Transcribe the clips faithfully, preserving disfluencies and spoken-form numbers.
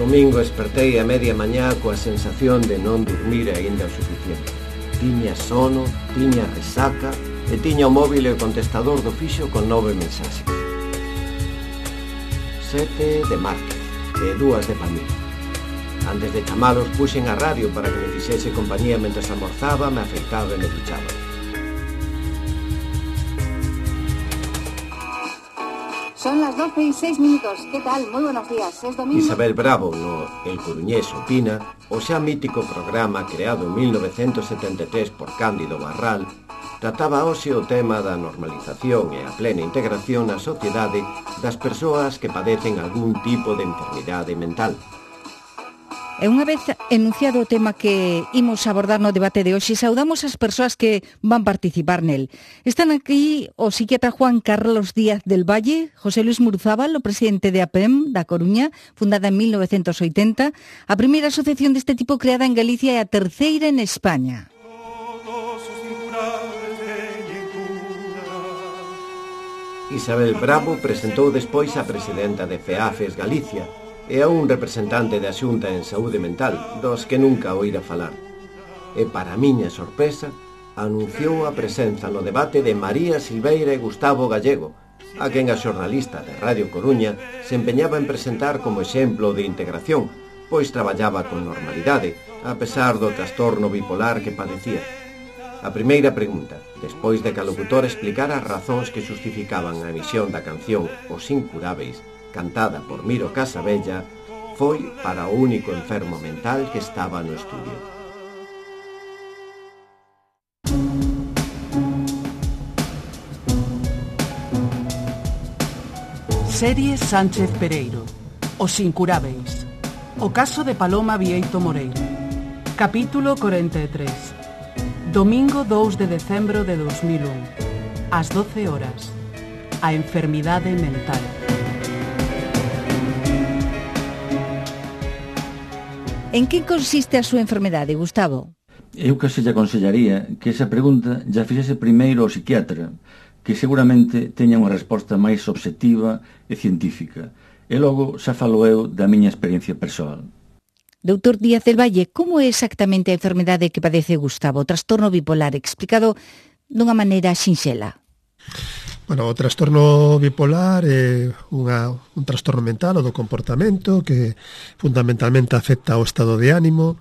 domingo espertei a media mañá coa sensación de non dormir aínda o suficiente. Tiña sono, tiña resaca e tiña o móvil e o contestador do fixo con nove mensaxes. Sete de Márquez e dúas de Palmiro. Antes de chamalos puxen a radio para que me fixese compañía mentres almorzaba, me afeitaba e me duchaba. Son las doce y seis minutos. ¿Qué tal? Muy buenos días. Es domingo. Isabel Bravo, no El Coruñés Opina, o xa mítico programa creado en mil novecentos setenta e tres por Cándido Barral, trataba hoxe o tema da normalización e a plena integración na sociedade das persoas que padecen algún tipo de enfermidade mental. E unha vez enunciado o tema que imos abordar no debate de hoxe, saudamos as persoas que van participar nel. Están aquí o psiquiatra Juan Carlos Díaz del Valle, José Luis Muruzábal, o presidente de A P E M da Coruña, fundada en mil novecentos oitenta, a primeira asociación deste tipo creada en Galicia e a terceira en España. Isabel Bravo presentou despois a presidenta de FEAFES Galicia e a un representante da Xunta en Saúde Mental, dos que nunca oíra falar. E, para miña sorpresa, anunciou a presenza no debate de María Silveira e Gustavo Gallego, a quen a xornalista de Radio Coruña se empeñaba en presentar como exemplo de integración, pois traballaba con normalidade, a pesar do trastorno bipolar que padecía. A primeira pregunta, despois de que a locutora explicara as razóns que xustificaban a emisión da canción Os Incurábeis, cantada por Miro Casabella, foi para o único enfermo mental que estaba no estudio. Serie Sánchez Pereiro, Os Incurábeis, o caso de Paloma Vieito Moreira. Capítulo cuarenta e tres. Domingo dous de decembro de dos mil un, ás doce horas. A enfermidade mental. En que consiste a súa enfermedade, Gustavo? Eu case lle aconsellaría que esa pregunta já fixese primeiro ao psiquiatra, que seguramente teña unha resposta máis obxectiva e científica. E logo xa falo eu da miña experiencia persoal. Doutor Díaz del Valle, como é exactamente a enfermedade que padece Gustavo, o trastorno bipolar, explicado dunha maneira sinxela? Bueno, o trastorno bipolar é unha, un trastorno mental ou do comportamento que fundamentalmente afecta ao estado de ánimo,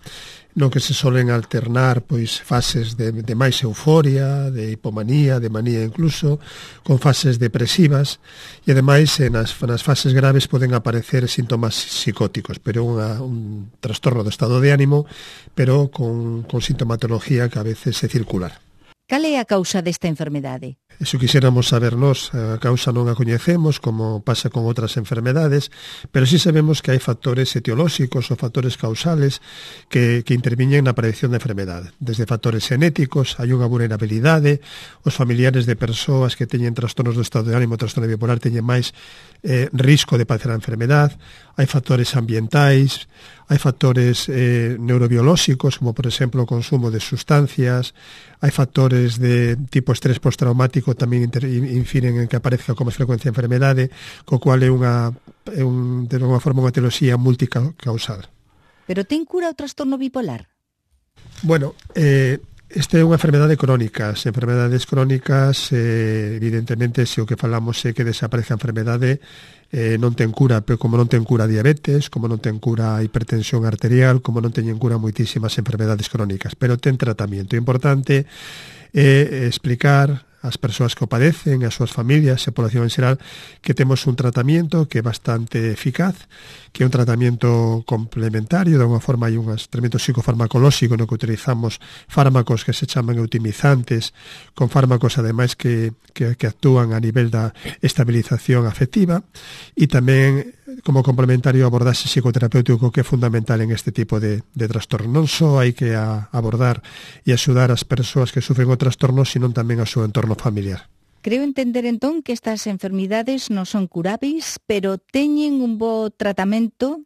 no que se solen alternar pois fases de, de máis euforia, de hipomanía, de manía incluso, con fases depresivas e ademais nas, nas fases graves poden aparecer síntomas psicóticos, pero unha, un trastorno do estado de ánimo, pero con, con sintomatología que a veces é circular. Cal é a causa desta enfermedade? Eso quixéramos saber nós, a causa non a coñecemos, como pasa con outras enfermedades, pero sí sabemos que hai factores etiolóxicos ou factores causales que, que interviñen na aparición da enfermedade. Desde factores genéticos, hai unha vulnerabilidade, os familiares de persoas que teñen trastornos do estado de ánimo, trastorno bipolar, teñen máis eh, risco de padecer a enfermedade, hai factores ambientais, hai factores eh, neurobiolóxicos, como por exemplo o consumo de sustancias, hai factores de tipo estrés postraumático tamén infiren en que aparezca con máis frecuencia a enfermedade, co cual é unha, é un, de unha forma unha etioloxía multicausal. Pero ten cura o trastorno bipolar? Bueno, eh, esta é unha enfermedade crónica. As enfermedades crónicas, eh, evidentemente, se o que falamos é que desaparece a enfermedade, eh, non ten cura, pero como non ten cura a diabetes, como non ten cura a hipertensión arterial, como non teñen cura moitísimas enfermedades crónicas, pero ten tratamento. O importante é explicar as persoas que o padecen, as súas familias e a población en xeral que temos un tratamento que é bastante eficaz, que é un tratamento complementario, de alguma forma hai un tratamento psicofarmacolóxico no que utilizamos fármacos que se chaman eutimizantes, con fármacos ademais que, que, que actúan a nivel da estabilización afectiva, e tamén como complementario abordaxe psicoterapéutico que é fundamental en este tipo de, de trastorno. Non só hai que a, abordar e axudar as persoas que sufren o trastorno, sino tamén ao seu entorno familiar. Creo entender entón que estas enfermidades non son curáveis, pero teñen un bo tratamento.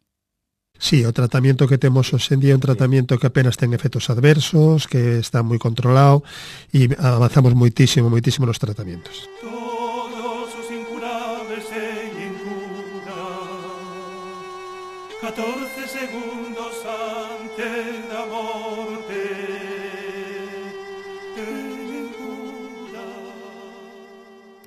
Sí, o tratamento que temos hoxe en día é un tratamento que apenas ten efectos adversos, que está moi controlado e avanzamos moitísimo, moitísimo nos tratamentos. catorce segundos antes da morte.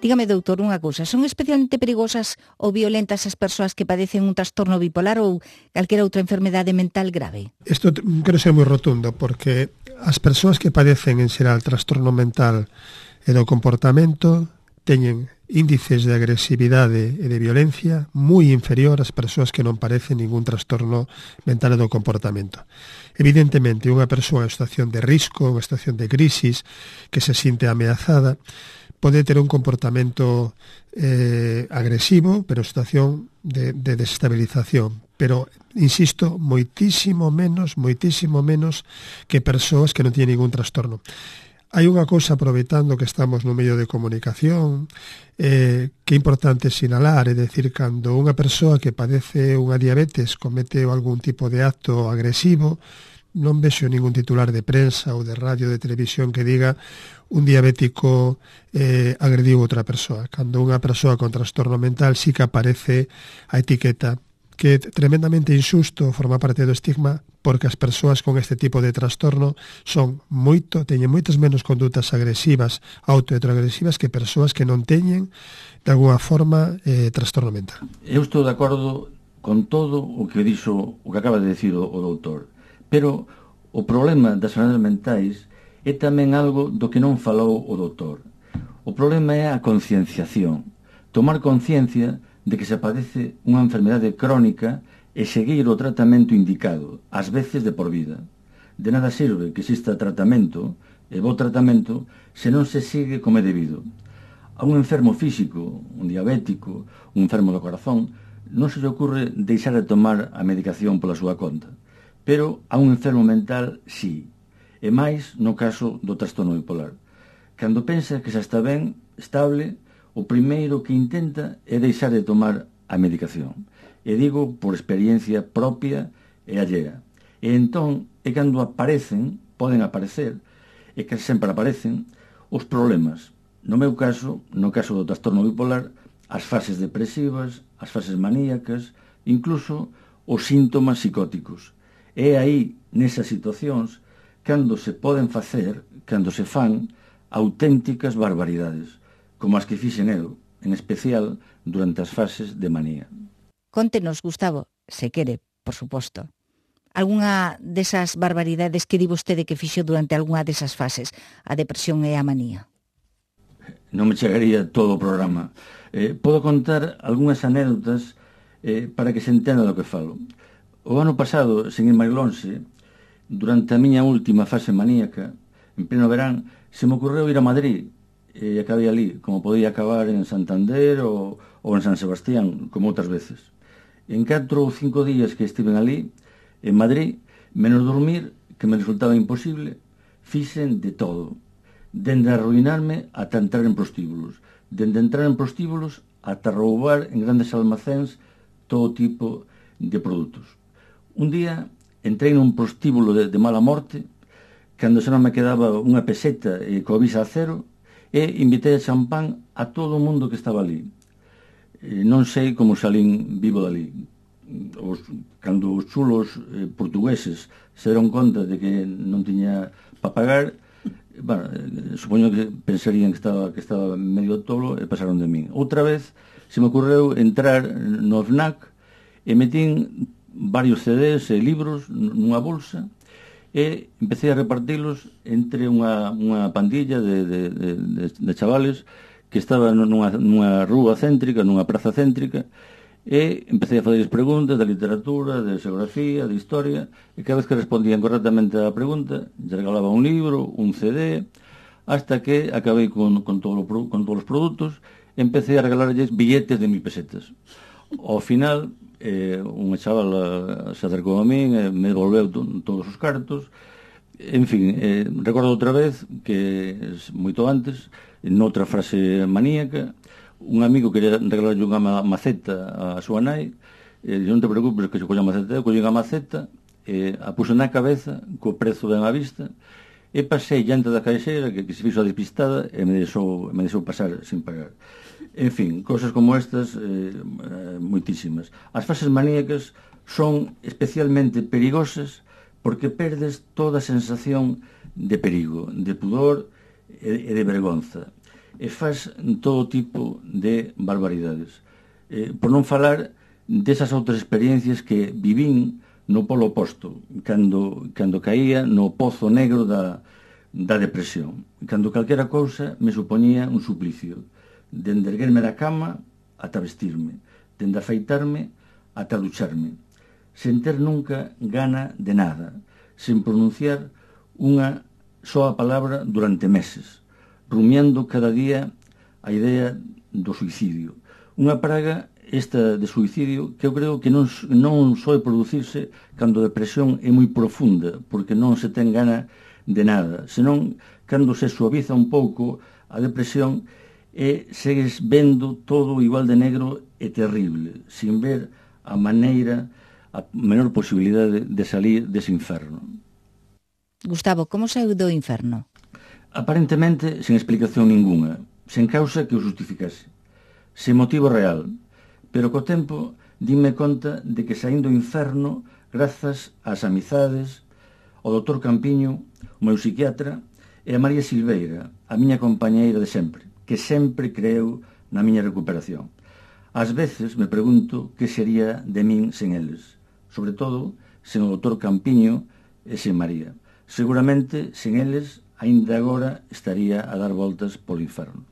Dígame, doutor, unha cousa, son especialmente perigosas ou violentas as persoas que padecen un trastorno bipolar ou calquera outra enfermedade mental grave? Isto quero ser moi rotundo, porque as persoas que padecen en xeral trastorno mental e do comportamento teñen índices de agresividade e de violencia moi inferior ás persoas que non padecen ningún trastorno mental e do comportamento. Evidentemente, unha persoa en situación de risco, unha situación de crisis, que se sinte ameazada, pode ter un comportamento eh, agresivo, pero situación de, de desestabilización. Pero, insisto, moitísimo menos, moitísimo menos que persoas que non tienen ningún trastorno. Hai unha cousa, aproveitando que estamos no medio de comunicación, eh, que é importante sinalar, é dicir, cando unha persoa que padece unha diabetes comete algún tipo de acto agresivo, non vexo ningún titular de prensa ou de radio, de televisión que diga un diabético eh, agrediu outra persoa. Cando unha persoa con trastorno mental sí que aparece a etiqueta, que é tremendamente injusto, forma parte do estigma, porque as persoas con este tipo de trastorno son moito, teñen moitas menos condutas agresivas, autoagresivas, que persoas que non teñen, de alguna forma, eh, trastorno mental. Eu estou de acordo con todo o que dixo, o que acaba de decir o, o doutor, pero o problema das enfermedades mentais é tamén algo do que non falou o doutor. O problema é a concienciación, tomar conciencia de que se padece unha enfermedade crónica e seguir o tratamento indicado, ás veces de por vida. De nada sirve que exista tratamento, e bo tratamento, se non se sigue como é debido. A un enfermo físico, un diabético, un enfermo do corazón, non se lle ocurre deixar de tomar a medicación pola súa conta. Pero a un enfermo mental, sí. E máis no caso do trastorno bipolar. Cando pensa que xa está ben, estable, o primeiro que intenta é deixar de tomar a medicación. E digo por experiencia propia e allea. E entón é cando aparecen, poden aparecer, e que sempre aparecen, os problemas. No meu caso, no caso do trastorno bipolar, as fases depresivas, as fases maníacas, incluso os síntomas psicóticos. É aí, nesas situacións, cando se poden facer, cando se fan, auténticas barbaridades, como as que fixen eu, en especial durante as fases de manía. Contenos, Gustavo, se quere, por suposto, algunha desas barbaridades que di vostede que fixo durante algunha desas fases, a depresión e a manía. Non me chegaría todo o programa. Eh, podo contar algunhas anécdotas eh, para que se entenda do que falo. O ano pasado, sen ir máis lonxe, durante a miña última fase maníaca, en pleno verán, se me ocorreu ir a Madrid e acabei ali, como podía acabar en Santander ou, ou en San Sebastián, como outras veces. En catro ou cinco días que estiven ali, en Madrid, menos dormir, que me resultaba imposible, fixen de todo. Dende arruinarme ata entrar en prostíbulos. Dende entrar en prostíbulos ata roubar en grandes almacéns todo tipo de produtos. Un día entrei nun prostíbulo de, de mala morte, cando xa non me quedaba unha peseta e coa visa a cero, e invitei a champán a todo o mundo que estaba ali. E non sei como salín vivo dali. Os, cando os chulos eh, portugueses se deron conta de que non tiña para pagar, bueno, eh, supoño que pensarían que estaba, que estaba medio tolo e pasaron de min. Outra vez se me ocorreu entrar no FNAC e metín varios C Ds e libros nunha bolsa e empecé a repartilos entre unha, unha pandilla de, de, de, de chavales que estaban nunha, nunha rúa céntrica, nunha praza céntrica, e empecé a facerles preguntas de literatura, de xeografía, de historia, e cada vez que respondían correctamente á pregunta, lle regalaba un libro, un C D, hasta que acabei con, con, todo, con todos os produtos e empecé a regalarles billetes de mil pesetas. Ao final, eh, unha chavala se acercou a min e me devolveu to, todos os cartos. En fin, eh, recordo outra vez que moito antes, noutra frase maníaca, un amigo quería regalarlle unha maceta a súa nai, e non te preocupes que se colla a maceta, eu collín a maceta, e a puxo na cabeza co prezo ben á vista, E pasei diante da caixeira que, que se fixo a despistada e me deixou, me deixou pasar sin pagar. En fin, cosas como estas, eh, moitísimas. As fases maníacas son especialmente perigosas porque perdes toda a sensación de perigo, de pudor e de vergonza. E faz todo tipo de barbaridades. Eh, por non falar desas outras experiencias que vivín no polo oposto, cando, cando caía no pozo negro da, da depresión, cando calquera cousa me supoñía un suplicio, dende erguerme da cama ata vestirme, dende afeitarme ata ducharme, sen ter nunca gana de nada, sen pronunciar unha soa palabra durante meses, rumiando cada día a idea do suicidio. Unha praga esta de suicidio que eu creo que non, non soe producirse cando a depresión é moi profunda, porque non se ten gana de nada, senón cando se suaviza un pouco a depresión e segues vendo todo igual de negro e terrible, sin ver a maneira, a menor posibilidade de salir dese inferno. Gustavo, como saiu do inferno? Aparentemente, sen explicación ninguna, sen causa que o justificase, sen motivo real, pero co tempo dime conta de que saín do inferno grazas ás amizades, ao doutor Campiño, o meu psiquiatra, e a María Silveira, a miña compañeira de sempre, que sempre creeu na miña recuperación. Ás veces me pregunto que sería de min sen eles, sobre todo sen o doutor Campiño e sen María. Seguramente, sen eles, aínda agora estaría a dar voltas polo inferno.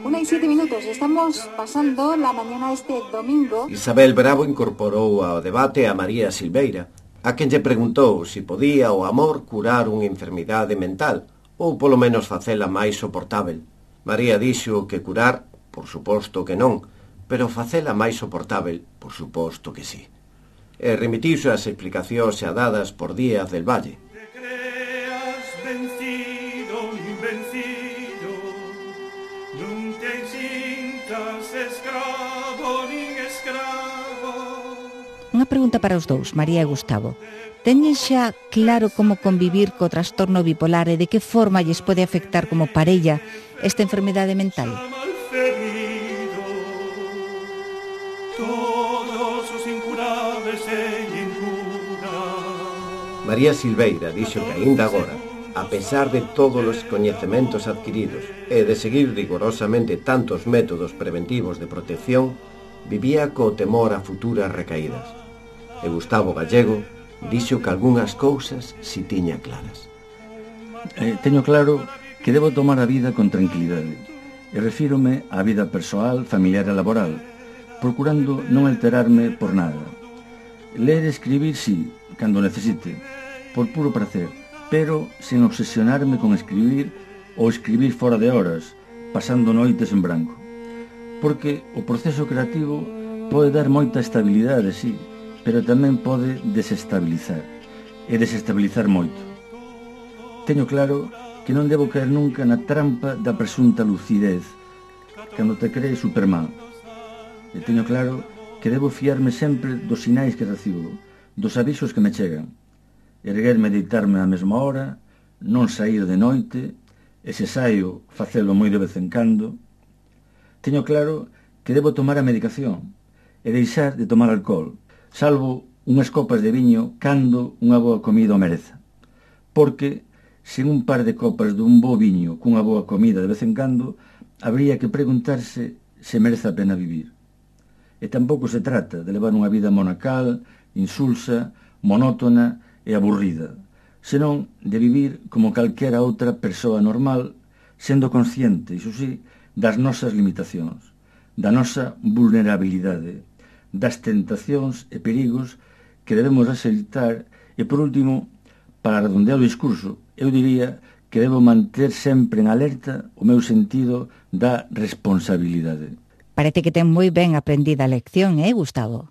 Una y siete minutos, estamos pasando la mañana este domingo. Isabel Bravo incorporou ao debate a María Silveira, a quen lle preguntou se podía o amor curar unha enfermidade mental, ou polo menos facela máis soportável. María dixo que curar, por suposto que non, pero facela máis soportável, por suposto que sí. E remitiuse as explicacións xa dadas por Díaz del Valle. Unha pregunta para os dous, María e Gustavo. Teñen xa claro como convivir co trastorno bipolar e de que forma lles pode afectar como parella esta enfermidade mental? María Silveira dixo que aínda agora, a pesar de todos os coñecementos adquiridos e de seguir rigorosamente tantos métodos preventivos de protección, vivía co temor a futuras recaídas. E Gustavo Gallego dixo que algunhas cousas si tiña claras. Eh, teño claro que debo tomar a vida con tranquilidade e refírome á vida persoal, familiar e laboral, procurando non alterarme por nada. Ler e escribir, sí, cando necesite, por puro prazer, pero sen obsesionarme con escribir ou escribir fora de horas, pasando noites en branco. Porque o proceso creativo pode dar moita estabilidade, sí, pero tamén pode desestabilizar, e desestabilizar moito. Teño claro que non debo caer nunca na trampa da presunta lucidez, cando te crees Superman. E teño claro que debo fiarme sempre dos sinais que recibo, dos avisos que me chegan, erguerme e deitarme á mesma hora, non sair de noite, e se saio, facelo moi de vez en cando. Teño claro que debo tomar a medicación e deixar de tomar alcohol, salvo unhas copas de viño cando unha boa comida o mereza. Porque, sen un par de copas dun bo viño cunha boa comida de vez en cando, habría que preguntarse se merece a pena vivir. E tampouco se trata de levar unha vida monacal, insulsa, monótona e aburrida, senón de vivir como calquera outra persoa normal, sendo consciente, iso sí, das nosas limitacións, da nosa vulnerabilidade, das tentacións e perigos que debemos aceitar e, por último, para redondear o discurso, eu diría que debo manter sempre en alerta o meu sentido da responsabilidade. Parece que ten moi ben aprendida a lección, eh, Gustavo?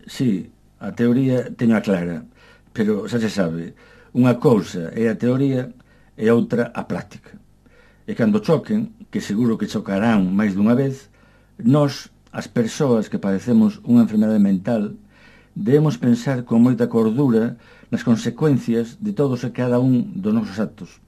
Sí, a teoría teño a clara, pero xa se sabe, unha cousa é a teoría e outra a práctica. E cando choquen, que seguro que chocarán máis dunha vez, nós, as persoas que padecemos unha enfermedade mental, debemos pensar con moita cordura nas consecuencias de todos e cada un dos nosos actos,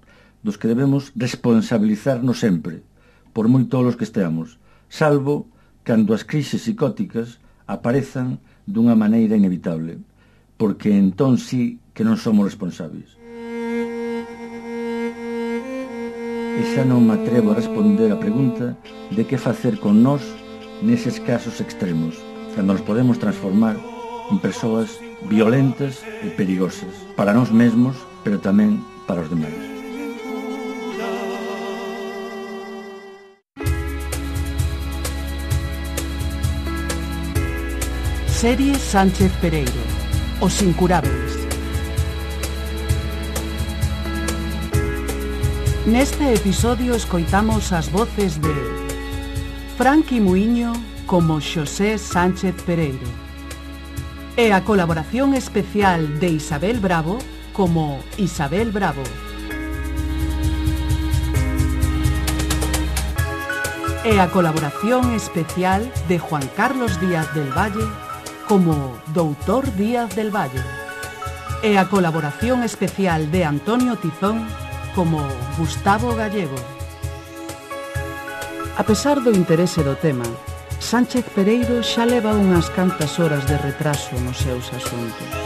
dos que debemos responsabilizarnos sempre, por moi tolos que esteamos, salvo cando as crises psicóticas aparezan dunha maneira inevitable, porque entón sí que non somos responsables. E xa non me atrevo a responder a pregunta de que facer con nós neses casos extremos, cando nos podemos transformar en persoas violentas e perigosas para nós mesmos, pero tamén para os demais. Serie Sánchez Pereiro, Os Incurábeis. Neste episodio escoitamos as voces de Franqui Muiño como Xosé Sánchez Pereiro e a colaboración especial de Isabel Bravo como Isabel Bravo e a colaboración especial de Juan Carlos Díaz del Valle como Doutor Díaz del Valle e a colaboración especial de Antonio Tizón como Gustavo Gallego. A pesar do interese do tema, Sánchez Pereiro xa leva unhas cantas horas de retraso nos seus asuntos.